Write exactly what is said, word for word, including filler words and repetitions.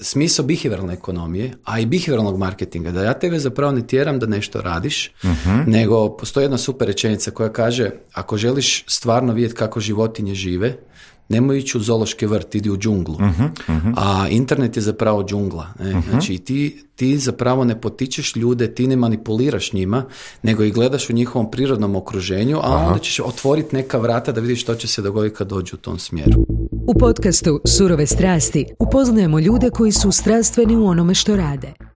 smisao behavioralne ekonomije, a i behavioralnog marketinga, da ja tebe zapravo ne tjeram da nešto radiš, uh-huh. nego postoji jedna super rečenica koja kaže, ako želiš stvarno vidjeti kako životinje žive, nemoj ići u zoološki vrt, idi u džunglu. Uh-huh, uh-huh. A internet je zapravo džungla. Ne? Uh-huh. Znači ti, ti zapravo ne potičeš ljude, ti ne manipuliraš njima, nego ih gledaš u njihovom prirodnom okruženju, a Aha. onda ćeš otvoriti neka vrata da vidiš što će se dogoditi kad dođu u tom smjeru. U podcastu Surove strasti upoznajemo ljude koji su strastveni u onome što rade.